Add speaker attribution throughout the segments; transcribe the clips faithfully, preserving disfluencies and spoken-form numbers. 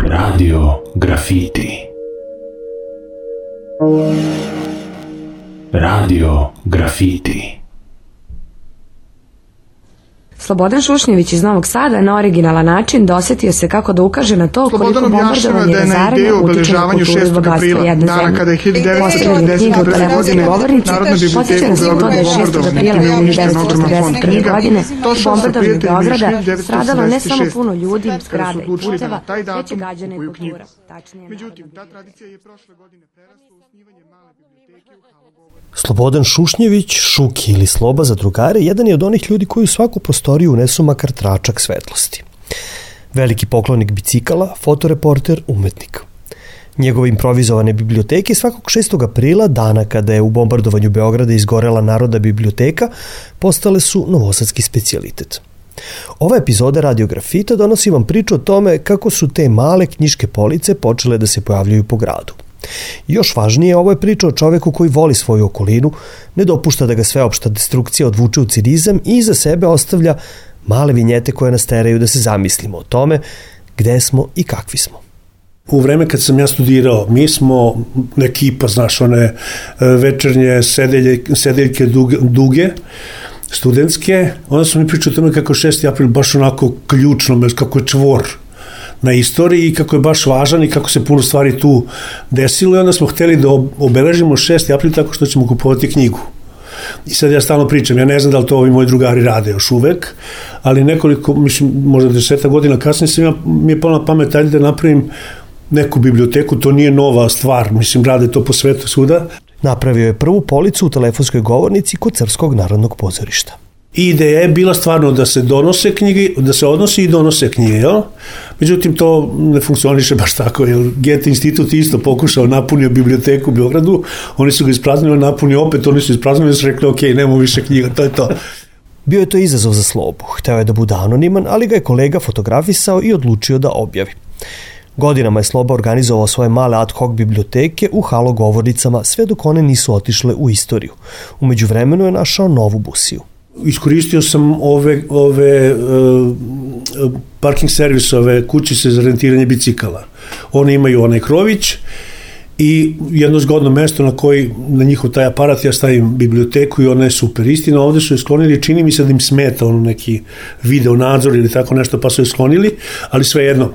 Speaker 1: Radio Grafiti. Radio Grafiti.
Speaker 2: Slobodan Šušnjević iz Novog Sada na originalan način dosetio se kako da ukaže na to koliko bombardovanje i razaranje utiče na kulturu i bogatstvo jedne zemlje. Postavljanje knjiga u telefonskoj govornici posjeća nas i to da je šestog aprila hiljadu devetsto četrdeset prve. godine u bombardovanju Beograda stradalo ne samo puno ljudi, zgrada i puteva, već i gađana i kultura.
Speaker 3: Međutim, ta tradicija je prošle godine prerasla u osnivanje male biblioteke u Halogovoru.
Speaker 4: Slobodan Šušnjević, Šuki ili Sloba za drugare, jedan je od onih ljudi koji u svaku prostoriju unesu makar tračak svetlosti. Veliki poklonik bicikala, fotoreporter, umetnik. Njegove improvizovane biblioteke svakog šestog aprila, dana kada je u bombardovanju Beograda izgorela Narodna biblioteka, postale su novosadski specijalitet. Ova epizoda Radio Grafita donosi vam priču o tome kako su te male knjiške police počele da se pojavljaju po gradu. Još važnije, ovo je priča o čoveku koji voli svoju okolinu, ne dopušta da ga sveopšta destrukcija odvuče u cinizam i iza sebe ostavlja male vinjete koje nas teraju da se zamislimo o tome gde smo i kakvi smo.
Speaker 5: U vreme kad sam ja studirao, mi smo ekipa, znaš, one večernje sedelje, sedeljke duge, duge studentske, onda su mi pričali o tome kako šesti april baš onako ključno, kako je čvor na istoriji i kako je baš važan i kako se puno stvari tu desilo i onda smo hteli da obeležimo šesti april tako što ćemo kupovati knjigu. I sad ja stalno pričam, ja ne znam da li to ovi moji drugari rade još uvek, ali nekoliko, mislim, možda deseta godina kasnije sam ja, mi je palo na pamet, ajde da napravim neku biblioteku, to nije nova stvar, mislim, rade to po svetu svuda.
Speaker 4: Napravio je prvu policu u telefonskoj govornici kod Srpskog narodnog pozorišta.
Speaker 5: I ideja je bila stvarno da se donose knjige, da se odnosi i donose knjige, jel? Međutim, to ne funkcioniše baš tako, jer Goethe institut isto pokušao, napunio biblioteku u Beogradu, oni su ga ispraznili, napunio opet, oni su ispraznili i su rekli, ok, nemamo više knjiga, to je to.
Speaker 4: Bio je to izazov za Slobu, hteo je da bude anoniman, ali ga je kolega fotografisao i odlučio da objavi. Godinama je Sloba organizovao svoje male ad hoc biblioteke u halogovornicama, sve dok one nisu otišle u istoriju. U međuvremenu je našao novu busiju.
Speaker 5: Iskoristio sam ove, ove uh, parking servisove kućice za rentiranje bicikala. One imaju onaj krović i jedno zgodno mesto na koji na njihov taj aparat ja stavim biblioteku i ona je super. Istina, ovde su je sklonili, čini mi se da im smeta ono neki video nadzor ili tako nešto, pa su je sklonili, ali svejedno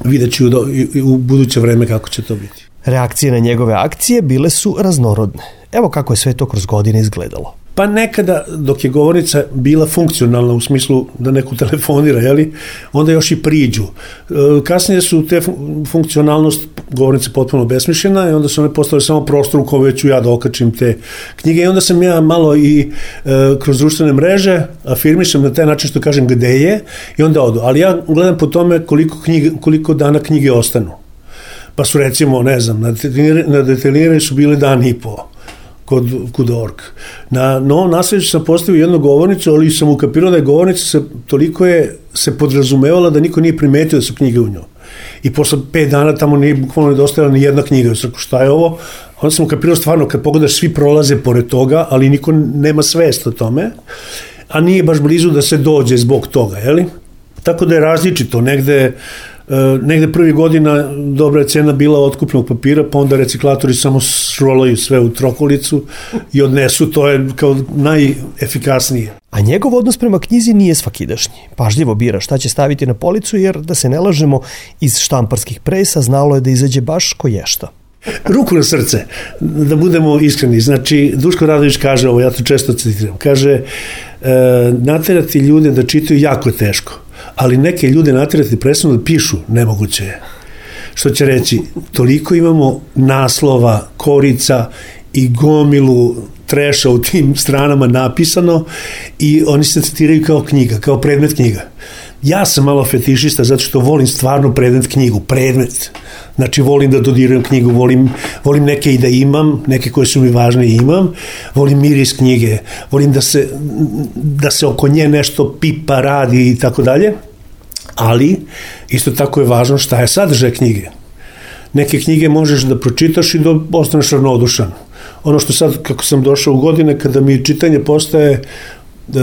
Speaker 5: vidjet ću do, i, u buduće vreme kako će to biti.
Speaker 4: Reakcije na njegove akcije bile su raznorodne. Evo kako je sve to kroz godine izgledalo.
Speaker 5: Pa nekada, dok je govornica bila funkcionalna u smislu da neko telefonira, jeli, onda još i priđu. Kasnije su te funkcionalnost govornice potpuno besmišljena i onda su one postale samo prostor u kome ću ja da okačim te knjige i onda sam ja malo i e, kroz društvene mreže afirmišem na taj način što kažem gde je i onda odu. Ali ja gledam po tome koliko, knjige, koliko dana knjige ostanu. Pa su recimo, ne znam, na detaljirani su bili dan i po kod, kod org. Na Novom Nasleđu sam postavio jednu govornicu, ali sam ukapirao da je govornica se, toliko je se podrazumevala da niko nije primetio da su knjige u njoj. I posle pet dana tamo nije bukvalno nedostajala ni jedna knjiga. Ja sam rekao, šta je ovo? Onda sam ukapirao stvarno, kad pogledaš, svi prolaze pored toga, ali niko nema svest o tome, a nije baš blizu da se dođe zbog toga, jeli? Tako da je različito, negde negde prvi godina dobra je cena bila otkupnog papira, pa onda reciklatori samo srolaju sve u trokolicu i odnesu, to je kao najefikasnije.
Speaker 4: A njegov odnos prema knjizi nije svakidašnji. Pažljivo bira šta će staviti na policu, jer da se ne lažemo, iz štamparskih presa znalo je da izađe baš koješta.
Speaker 5: Ruku na srce, da budemo iskreni. Znači, Duško Radović kaže ovo, ja to često citiram, kaže, e, naterati ljude da čitaju jako je teško, ali neke ljude naterati presno da pišu, nemoguće je. Što će reći, toliko imamo naslova, korica i gomilu treša u tim stranama napisano i oni se citiraju kao knjiga, kao predmet knjiga. Ja sam malo fetišista zato što volim stvarno predmet knjigu, predmet. Znači, volim da dodirujem knjigu, volim, volim neke i da imam, neke koje su mi važne i imam, volim miris knjige, volim da se, da se oko nje nešto pipa, radi i tako dalje, ali isto tako je važno šta je sadržaj knjige. Neke knjige možeš da pročitaš i da ostaneš ravnodušan. Ono što sad, kako sam došao u godine, kada mi čitanje postaje uh,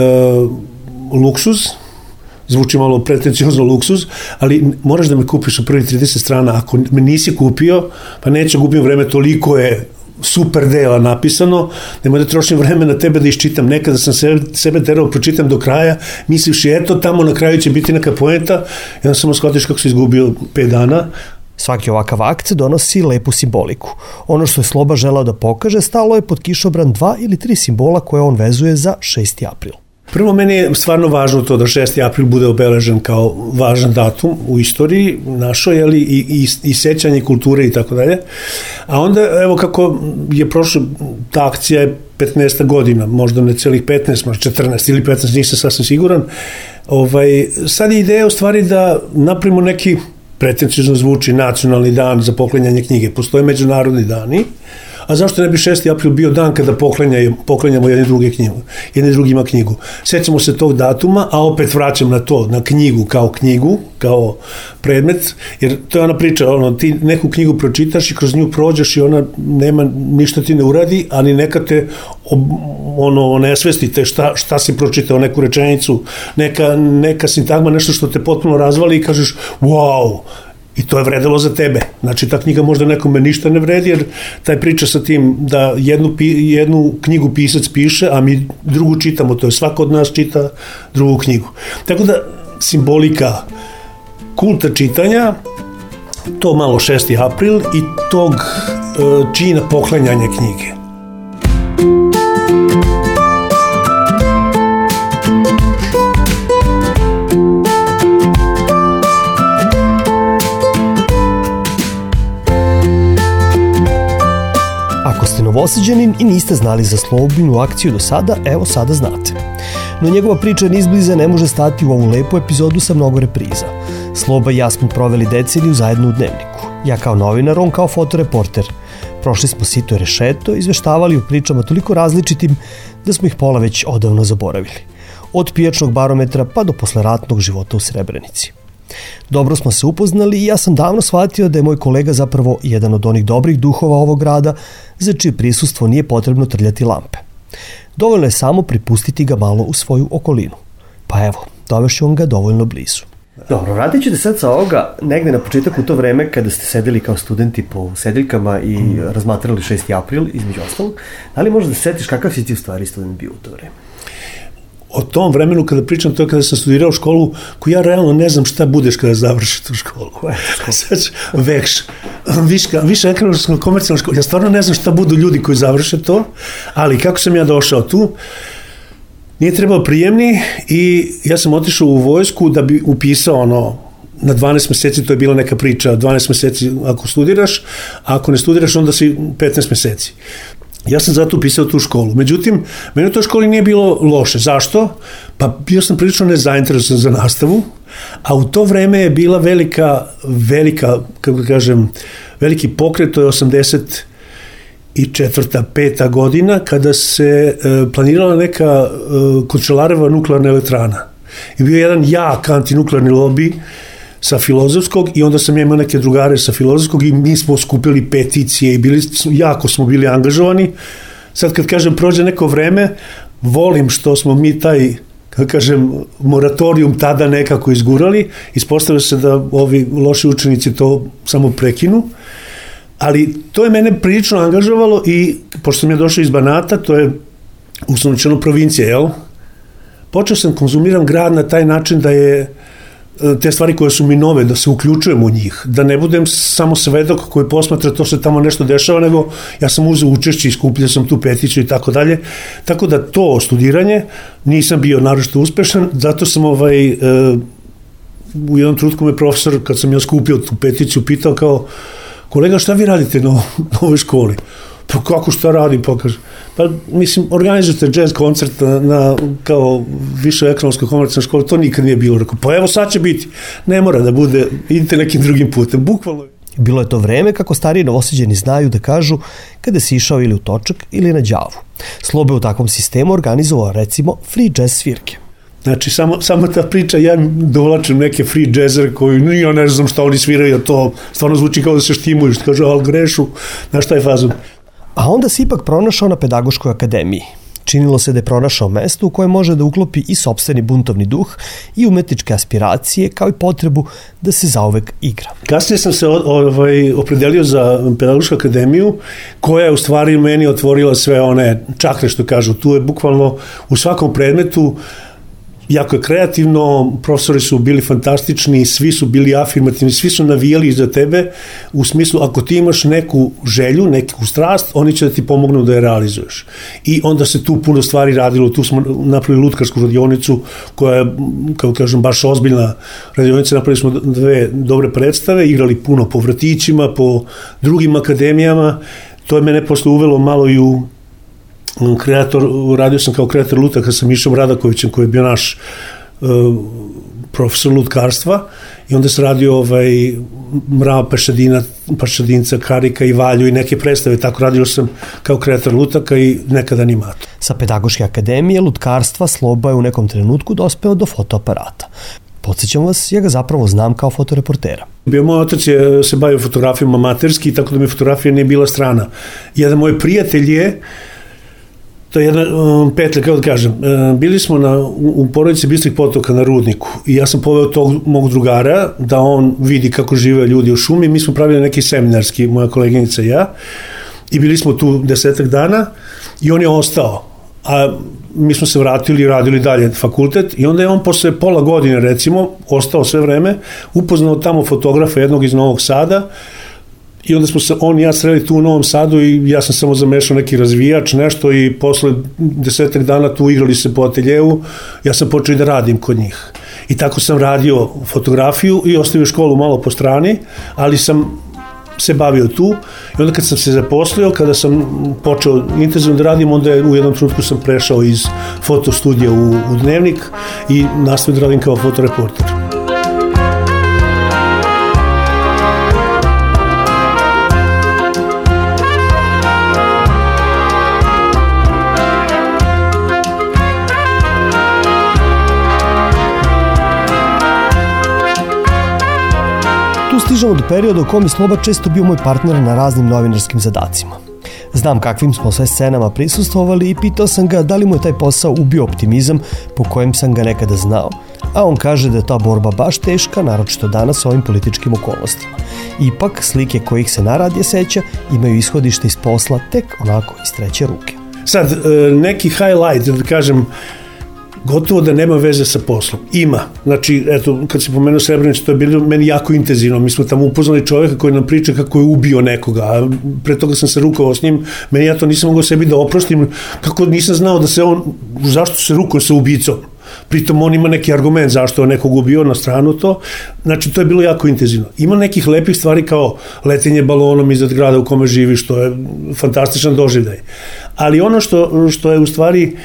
Speaker 5: luksuz, zvuči malo pretenciozno luksuz, ali moraš da me kupiš u prvi trideset strana, ako me nisi kupio, pa neću gubim vreme, toliko je super dela napisano, nemoj da trošim vreme na tebe da iščitam, nekada sam sebe, sebe terao pročitam do kraja, mislivši eto tamo na kraju će biti neka poenta, i onda samo shvatiš kako si izgubio pet dana.
Speaker 4: Svaki ovakav akt donosi lepu simboliku. Ono što je Sloba želao da pokaže stalo je pod kišobran dva ili tri simbola koje on vezuje za šesti april.
Speaker 5: Prvo, meni je stvarno važno to da šesti april bude obeležen kao važan datum u istoriji našoj, jeli, i, i, i sećanje kulture i tako dalje. A onda, evo kako je prošla, ta akcija je petnaesta godina, možda ne celih petnaest, možda četrnaest ili petnaest, nisam sasvim siguran. Ovaj, sad je ideja u stvari da napravimo neki, pretenciozno zvuči, nacionalni dan za poklanjanje knjige. Postoje međunarodni dani, a zašto ne bi šesti april bio dan kada poklanjamo jedni druge knjigu, jedni drugima knjigu. Sećamo se tog datuma, a opet vraćam na to, na knjigu kao knjigu, kao predmet, jer to je ona priča, ono, ti neku knjigu pročitaš i kroz nju prođeš i ona nema, ništa ti ne uradi, ali neka te ono, nesvestite šta, šta si pročitao, neku rečenicu, neka, neka sintagma, nešto što te potpuno razvali i kažeš, wow, i to je vredelo za tebe. Znači, ta knjiga možda nekome ništa ne vredi, jer taj priča sa tim da jednu, jednu knjigu pisac piše, a mi drugu čitamo, to je svako od nas čita drugu knjigu. Tako da, simbolika kulta čitanja, to malo šesti april i tog uh, čina poklanjanja knjige.
Speaker 4: Ako ste Novosađanin i niste znali za Slobinu akciju do sada, evo sada znate. No njegova priča nizbliza ne može stati u ovu lepu epizodu sa mnogo repriza. Sloba i ja smo proveli deceniju zajedno u Dnevniku. Ja kao novinar, on kao fotoreporter. Prošli smo sito i rešeto, izveštavali o pričama toliko različitim da smo ih pola već odavno zaboravili. Od pijačnog barometra pa do posleratnog života u Srebrenici. Dobro smo se upoznali i ja sam davno shvatio da je moj kolega zapravo jedan od onih dobrih duhova ovog grada za čije prisustvo nije potrebno trljati lampe. Dovoljno je samo pripustiti ga malo u svoju okolinu. Pa evo, dovešću on ga dovoljno blizu. Dobro, vratit ću te sad sa ovoga negde na početak u to vreme kada ste sedeli kao studenti po sedeljkama i mm. razmatrali šesti april, između ostalog. Da li možeš da se setiš kakav si ti u stvari student bio u to vreme?
Speaker 5: O tom vremenu kada pričam, to je kada sam studirao školu, koju ja realno ne znam šta budeš kada završiš tu školu. Sad vekš, viška, više ekonomska komercijalna škola. Ja stvarno ne znam šta budu ljudi koji završe to, ali kako sam ja došao tu, nije trebao prijemni i ja sam otišao u vojsku da bi upisao ono, na dvanaest meseci, to je bila neka priča, dvanaest meseci ako studiraš, a ako ne studiraš onda si petnaest meseci. Ja sam zato upisao tu školu. Međutim, meni u toj školi nije bilo loše. Zašto? Pa bio sam prilično nezainteresovan za nastavu, a u to vreme je bila velika, velika, kako da kažem, veliki pokret, to je osamdeset četvrta peta godina, kada se e, planirala neka e, Končelareva nuklearna elektrana. I bio jedan jak antinuklearni lobby sa Filozofskog i onda sam ja imao neke drugare sa Filozofskog i mi smo skupili peticije i bili, jako smo bili angažovani. Sad kad kažem prođe neko vreme, volim što smo mi taj, kako kažem, moratorijum tada nekako izgurali, ispostavlja se da ovi loši učenici to samo prekinu, ali to je mene prilično angažovalo i pošto sam ja došao iz Banata, to je uslovničeno provincija, jel? Počeo sam konzumiram grad na taj način da je te stvari koje su mi nove, da se uključujem u njih, da ne budem samo svedok koji posmatra to se tamo nešto dešava, nego ja sam uzeo učešće i skupljao sam tu peticiju i tako dalje. Tako da to studiranje nisam bio naročito uspešan, zato sam ovaj, e, u jednom trenutku me profesor, kad sam ja skupio tu peticiju, pitao kao, kolega, šta vi radite na, na ovoj školi? Pa kako šta radim, pa kaže, pa mislim, organizujete jazz koncert na, na kao više ekonomskoj komercijalnoj školi, to nikad nije bilo. Rekao, pa evo sad će biti, ne mora da bude, idite nekim drugim putem, bukvalno.
Speaker 4: Bilo je to vreme, kako stariji Novosađani znaju da kažu, kada si išao ili u točak ili na đavu. Slobe u takvom sistemu organizovao recimo free jazz svirke.
Speaker 5: Znači, samo, samo ta priča, ja dovlačim neke free jazzere koji, ja ne znam šta oni sviraju, to stvarno zvuči kao da se štimuju, kaže, ali grešu, znaš šta je fazon.
Speaker 4: A onda si ipak pronašao na Pedagoškoj akademiji, Činilo se da je pronašao mesto u koje može da uklopi i sopstveni buntovni duh i umetničke aspiracije, kao i potrebu da se zauvek igra.
Speaker 5: Kasnije sam se ovaj, opredelio za Pedagošku akademiju, koja je u stvari meni otvorila sve one čakre, što kažu. Tu je bukvalno u svakom predmetu jako je kreativno, profesori su bili fantastični, svi su bili afirmativni, svi su navijali za tebe, u smislu ako ti imaš neku želju, neku strast, oni će da ti pomognu da je realizuješ. I onda se tu puno stvari radilo, tu smo napravili lutkarsku radionicu, koja je, kao kažem, baš ozbiljna radionica, napravili smo dve dobre predstave, igrali puno po vrtićima, po drugim akademijama, to je mene posle uvelo malo i u kreator, radio sam kao kreator lutaka sa Mišom Radakovićem, koji je bio naš uh, profesor lutkarstva, i onda se radio ovaj, Mrava Pešadina, Pešadinca, Karika i Valju i neke predstave, tako radio sam kao kreator lutaka i nekad animator.
Speaker 4: Sa Pedagoške akademije lutkarstva Sloba je u nekom trenutku dospeo do fotoaparata. Podsjećam vas, ja ga zapravo znam kao fotoreportera.
Speaker 5: Bio moj otac je se bavio fotografijom amaterski, tako da mi fotografija nije bila strana. Jedan moj prijatelj je, to je jedna um, petlja, kako da kažem, um, bili smo na, u, u porodici Bistrih potoka na Rudniku i ja sam poveo tog mog drugara da on vidi kako žive ljudi u šumi. Mi smo pravili neki seminarski, moja koleginica i ja, i bili smo tu desetak dana i on je ostao, a mi smo se vratili i radili dalje fakultet, i onda je on posle pola godine, recimo, ostao sve vreme, upoznao tamo fotografa jednog iz Novog Sada. I onda smo se, on i ja sreli tu u Novom Sadu i ja sam samo zamešao neki razvijač, nešto, i posle desetak dana tu igrali se po ateljevu, ja sam počeo i da radim kod njih. I tako sam radio fotografiju i ostavio školu malo po strani, ali sam se bavio tu, i onda kad sam se zaposlio, kada sam počeo intenzivno da radim, onda je u jednom trenutku sam prešao iz fotostudija u, u Dnevnik i nastavio da radim kao fotoreporter.
Speaker 4: Stižemo do perioda u kom je Sloba često bio moj partner na raznim novinarskim zadacima. Znam kakvim smo sve scenama prisustvovali i pitao sam ga da li mu je taj posao ubio optimizam po kojem sam ga nekada znao, a on kaže da je ta borba baš teška, naročito danas ovim političkim okolnostima. Ipak, slike kojih se naradije seća imaju ishodište iz posla tek onako iz treće ruke.
Speaker 5: Sad, neki highlight, da kažem, gotovo da nema veze sa poslom. Ima. Znači, eto, kad se pomenuo Srebrenicu, to je bilo meni jako intenzivno. Mi smo tamo upoznali čovjeka koji nam priča kako je ubio nekoga, a pre toga sam se rukovao s njim, meni ja to nisam mogao sebi da oprostim, kako nisam znao da se on, zašto se rukao sa ubicom. Pritom on ima neki argument zašto je nekog ubio, na stranu to. Znači, to je bilo jako intenzivno. Ima nekih lepih stvari kao letenje balonom iznad grada u kome živi, što je fantastičan doživljaj. Ali ono što, što je u stvari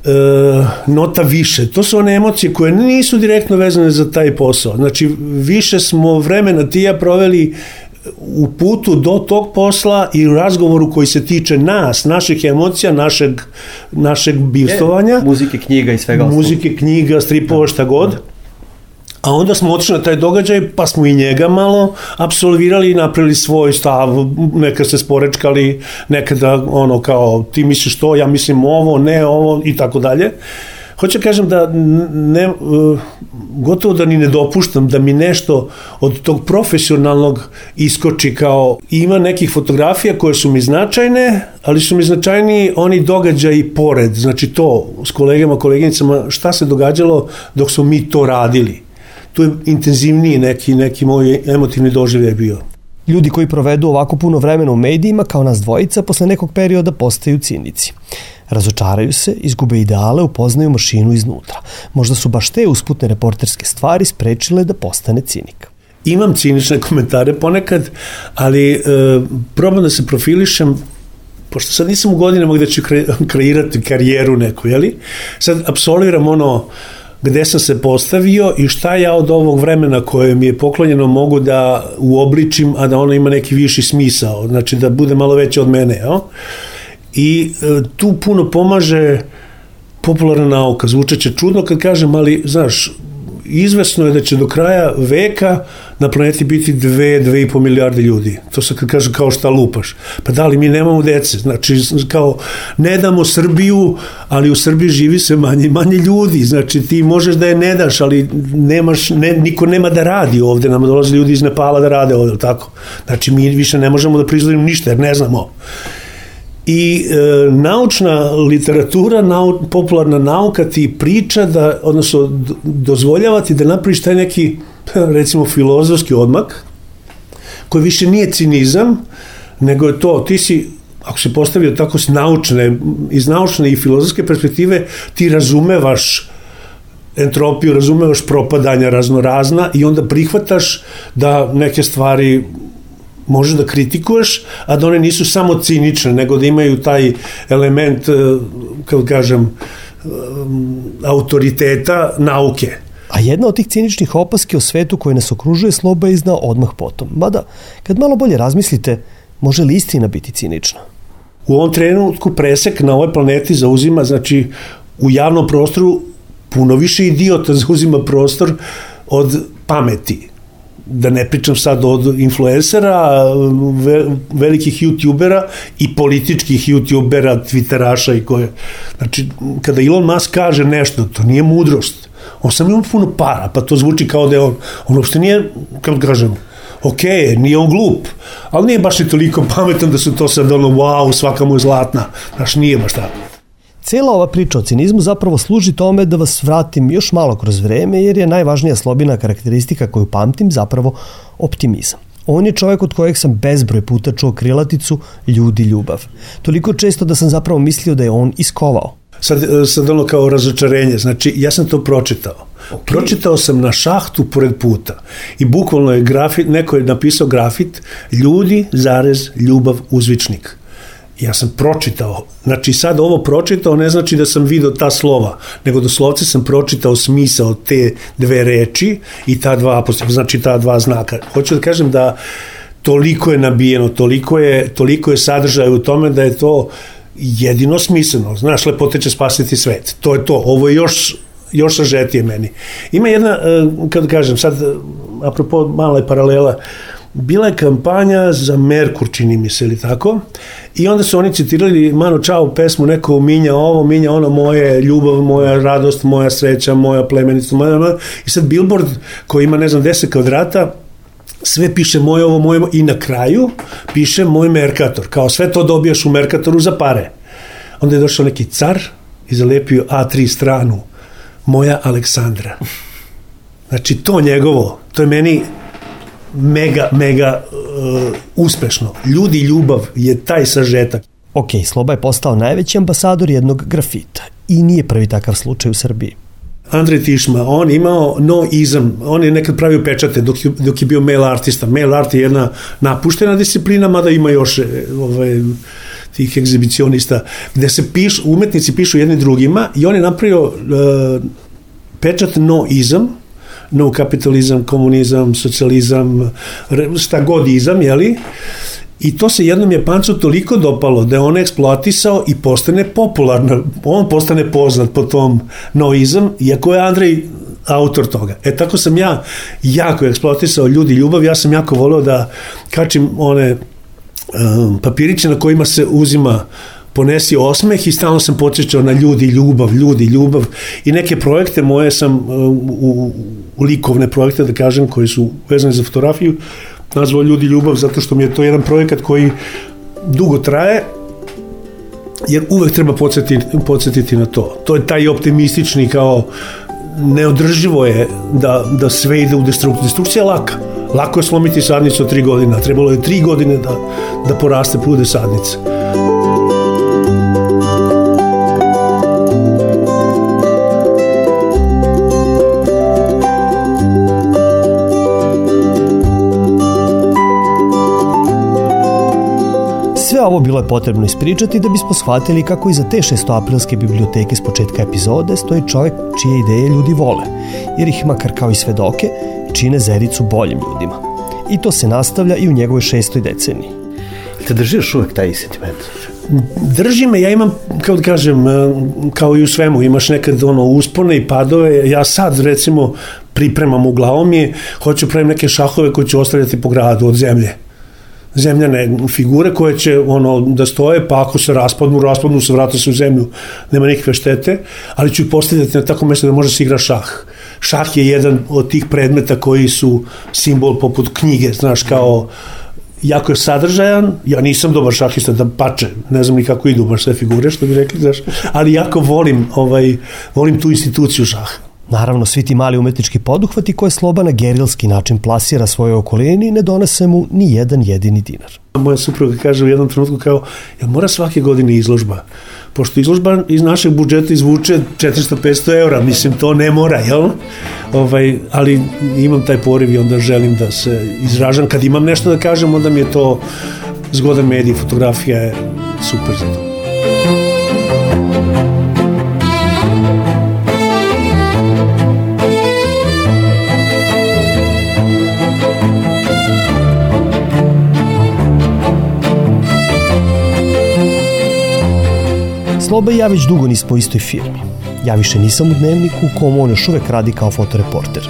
Speaker 5: E, nota više, to su one emocije koje nisu direktno vezane za taj posao. Znači, više smo vremena ti ja proveli u putu do tog posla i u razgovoru koji se tiče nas, naših emocija, našeg, našeg bivstovanja.
Speaker 4: E, muzike, knjiga i svega osnovno.
Speaker 5: Muzike, knjiga, stripova, šta god. A onda smo otišli na taj događaj, pa smo i njega malo apsolvirali i napravili svoj stav, nekad se sporečkali, nekada ono kao ti misliš to, ja mislim ovo, ne ovo i tako dalje. Hoću kažem da ne, gotovo da ni ne dopuštam da mi nešto od tog profesionalnog iskoči, kao ima nekih fotografija koje su mi značajne, ali su mi značajniji oni događaji pored, znači to s kolegama, koleginicama, šta se događalo dok smo mi to radili. Tu je intenzivniji neki, neki moj emotivni doživljaj bio.
Speaker 4: Ljudi koji provedu ovako puno vremena u medijima, kao nas dvojica, posle nekog perioda postaju cinici. Razočaraju se, izgube ideale, upoznaju mašinu iznutra. Možda su baš te usputne reporterske stvari sprečile da postane cinik.
Speaker 5: Imam cinične komentare ponekad, ali e, probam da se profilišem, pošto sad nisam u godinama gde ću kreirati karijeru neku, jeli? Sad apsolviram ono gde sam se postavio i šta ja od ovog vremena koje mi je poklonjeno mogu da uobličim, a da ono ima neki viši smisao, znači da bude malo veće od mene. Jel? I e, tu puno pomaže popularna nauka. Zvučeće čudno kad kažem, ali znaš, izvesno je da će do kraja veka na planeti biti dve, dve i po milijarde ljudi. To se kad kažu kao šta lupaš. Pa da li mi nemamo dece? Znači, kao, ne damo Srbiju, ali u Srbiji živi se manje manje ljudi. Znači, ti možeš da je ne daš, ali nemaš, ne, niko nema da radi ovde. Nama dolaze ljudi iz Nepala da rade ovde, tako? Znači, mi više ne možemo da proizvodimo ništa, jer ne znamo. I e, naučna literatura, nau, popularna nauka ti priča da, odnosno dozvoljava ti da napraviš taj neki, recimo, filozofski odmak, koji više nije cinizam, nego je to, ti si, ako se postavio tako s naučne, iz naučne i filozofske perspektive, ti razumevaš entropiju, razumevaš propadanja raznorazna i onda prihvataš da neke stvari možeš da kritikuješ, a da one nisu samo cinične, nego da imaju taj element, kako kažem, autoriteta nauke.
Speaker 4: A jedna od tih ciničnih opaski o svetu koji nas okružuje Sloba je iznao odmah potom. Mada, kad malo bolje razmislite, može li istina biti cinična?
Speaker 5: U ovom trenutku presek na ovoj planeti zauzima, znači, u javnom prostoru puno više idiota zauzima prostor od pameti. Da ne pričam sad od influencera, velikih youtubera i političkih youtubera, twitteraša i koje. Znači, kada Elon Musk kaže nešto, to nije mudrost. On sam ima puno para, pa to zvuči kao da je on, on uopšte nije, kako kažem, ok, nije on glup, ali nije baš i toliko pametan da su to sad ono, wow, svaka mu je zlatna. Znaš, nije baš tako.
Speaker 4: Cijela ova priča o cinizmu zapravo služi tome da vas vratim još malo kroz vreme, jer je najvažnija Slobina karakteristika koju pamtim zapravo optimizam. On je čovjek od kojeg sam bezbroj puta čuo krilaticu ljudi ljubav. Toliko često da sam zapravo mislio da je on iskovao.
Speaker 5: Sad, sad ono kao razočarenje, znači ja sam to pročitao. Okay. Pročitao sam na šahtu pored puta i bukvalno je grafit, neko je napisao grafit ljudi, zarez, ljubav, uzvičnik. Ja sam pročitao, znači sad ovo pročitao ne znači da sam vidio ta slova, nego doslovce sam pročitao smisao te dve reči i ta dva apostrofa, znači ta dva znaka. Hoću da kažem da toliko je nabijeno, toliko je, toliko je sadržaj u tome da je to jedino smisleno. Znaš, lepote će spasiti svet. To je to. Ovo je još, još sažetije meni. Ima jedna, kad kažem, sad, apropo mala je paralela, bila je kampanja za Merkur, čini mi se, ili tako, i onda su oni citirali Mano Čao pesmu, neko minja ovo, minja ono, moje ljubav, moja radost, moja sreća, moja plemenica, moja, moja. I sad billboard koji ima, ne znam, deset kvadrata, sve piše moje ovo, moje ovo, i na kraju piše moj Merkator, kao sve to dobijaš u Merkatoru za pare. Onda je došao neki car i zalepio A tri stranu, moja Aleksandra. Znači, to njegovo, to je meni mega, mega uh, uspešno. Ljudi ljubav je taj sažetak.
Speaker 4: Ok, Sloba je postao najveći ambasador jednog grafita i nije prvi takav slučaj u Srbiji.
Speaker 5: Andrej Tišma, on imao no-izam, on je nekad pravio pečate dok je, dok je bio mail artista. Mail art je jedna napuštena disciplina, mada ima još ovaj, tih egzibicionista, gde se pišu, umetnici pišu jedni drugima i on je napravio uh, pečat no-izam, no kapitalizam, komunizam, socijalizam, šta god izam, jeli? I to se jednom Japancu toliko dopalo da je on eksploatisao i postane popularno. On postane poznat po tom noizam, iako je Andrej autor toga. E tako sam ja jako eksploatisao ljudi ljubav, ja sam jako voleo da kačim one um, papiriće na kojima se uzima ponesi osmeh i stalno sam podsjećao na ljudi ljubav, ljudi ljubav i neke projekte moje sam u, u likovne projekte, da kažem, koji su vezani za fotografiju, nazvao ljudi ljubav zato što mi je to jedan projekat koji dugo traje, jer uvek treba podsjetiti, podsjetiti na to. To je taj optimistični, kao neodrživo je da, da sve ide u destrukciju. Destrukcija je laka. Lako je slomiti sadnicu od tri godina. Trebalo je tri godine da, da poraste, bude sadnica.
Speaker 4: Sve ovo bilo je potrebno ispričati da bismo shvatili kako iza te šestoaprilske biblioteke s početka epizode stoji čovjek čije ideje ljudi vole, jer ih makar kao i svedoke čine Zericu boljim ljudima. I to se nastavlja i u njegovoj šestoj deceniji.
Speaker 5: Te drži još uvek taj sentiment? drži me, ja imam, kao da kažem, kao i u svemu, imaš nekad ono uspone i padove, ja sad recimo pripremam u glavom mi, hoću pravim neke šahove koje ću ostavljati po gradu od zemlje. Zemljane figure koje će ono da stoje, pa ako se raspadnu, raspadnu se, vrate se u zemlju, nema nikakve štete, ali ću ih postavljati na tako mjesto da može se igra šah. Šah je jedan od tih predmeta koji su simbol poput knjige, znaš, kao jako je sadržajan, ja nisam dobar šahista da pače, ne znam ni kako idu baš sve figure, što bi rekli, znaš, ali jako volim, ovaj, volim tu instituciju šaha.
Speaker 4: Naravno, svi ti mali umetnički poduhvati koje Sloba na gerilski način plasira svojoj okolini ne donese mu ni jedan jedini dinar.
Speaker 5: Moja supruga kaže u jednom trenutku kao, jel mora svake godine izložba? Pošto izložba iz našeg budžeta izvuče četiristo do petsto eura, mislim, to ne mora, jel? Ovaj, ali imam taj poriv i onda želim da se izražam. Kad imam nešto da kažem, onda mi je to zgodan medij, fotografija je super za to.
Speaker 4: Sloba i ja već dugo nismo u istoj firmi. Ja više nisam u Dnevniku u kom on još uvek radi kao fotoreporter.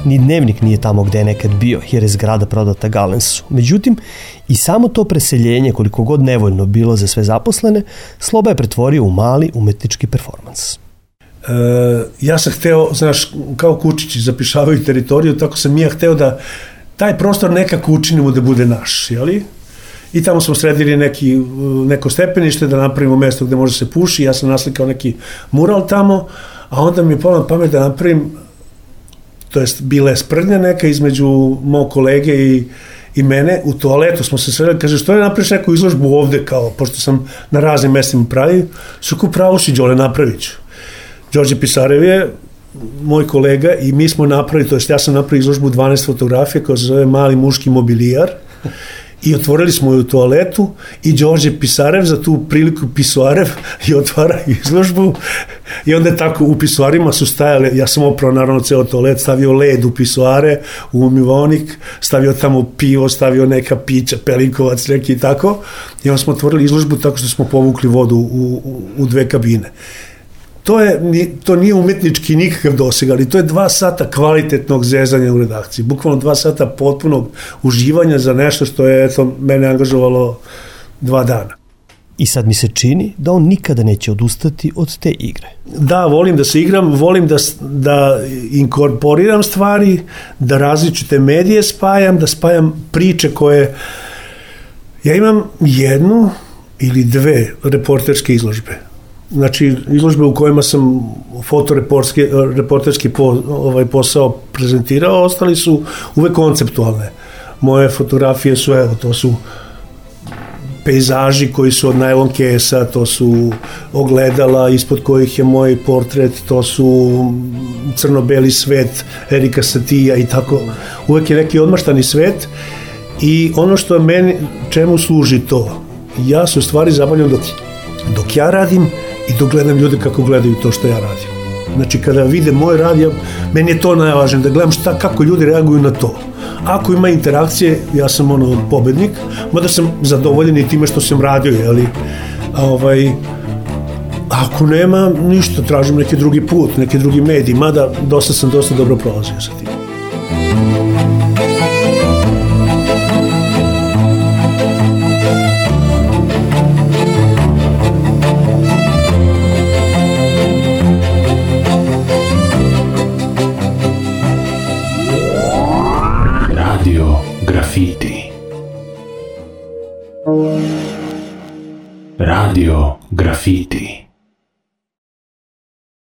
Speaker 4: Ni Dnevnik nije tamo gde je nekad bio, jer je zgrada prodata Galensu. Međutim, i samo to preseljenje, koliko god nevoljno bilo za sve zaposlene, Sloba je pretvorio u mali umetnički performans.
Speaker 5: E, ja sam hteo, znaš, kao kučići zapišavaju teritoriju, tako sam ja hteo da taj prostor nekako učinimo da bude naš, jeli? I tamo smo sredili neki, neko stepenište da napravimo mesto gde može se puši, ja sam naslikao neki mural tamo, a onda mi je palo na pamet da napravim, to jest bila je sprdnja neka između mog kolege i, i mene, u toaletu smo se sredili, kaže, što je napraviš neku izložbu ovde, kao, pošto sam na raznim mestima pravio, su ko pravo si, Đole, napravit ću. Đorđe Pisarev je moj kolega i mi smo napravili, to jest ja sam napravio izložbu dvanaest fotografija koja se zove Mali muški mobilijar, i otvorili smo ju u toaletu i Đorđe Pisarev za tu priliku Pisuarev i otvara izložbu i onda tako u pisuarima su stajale, ja sam oprao naravno ceo toalet, stavio led u pisuare, u umivonik, stavio tamo pivo, stavio neka pića, pelinkovac neki i tako i onda smo otvorili izložbu tako što smo povukli vodu u, u, u dve kabine. To, je, to nije umetnički nikakav doseg, ali to je dva sata kvalitetnog zezanja u redakciji. Bukvalno dva sata potpunog uživanja za nešto što je eto, mene angažovalo dva dana.
Speaker 4: I sad mi se čini da on nikada neće odustati od te igre.
Speaker 5: Da, volim da se igram, volim da, da inkorporiram stvari, da različite medije spajam, da spajam priče koje... Ja imam jednu ili dve reporterske izložbe. Znači, izložbe u kojima sam fotoreporterski po, ovaj, posao prezentirao, ostali su uvek konceptualne. Moje fotografije su, evo, to su pejzaži koji su od najlon kesa, to su ogledala ispod kojih je moj portret, to su crno-beli svet Erika Satija i tako. Uvek je neki odmaštani svet i ono što meni, čemu služi to? Ja se u stvari zabavljam dok, dok ja radim i dok gledam ljude kako gledaju to što ja radim. Znači, kada vide moj rad, ja, meni je to najvažnije, da gledam šta, kako ljudi reaguju na to. Ako ima interakcije, ja sam ono pobednik, mada sam zadovoljen i time što sam radio, jeli, a ovaj, ako nema, ništa, tražim neki drugi put, neki drugi medij, mada dosta sam dosta dobro prolazio sa tim.
Speaker 1: Grafiti. Radio Grafiti.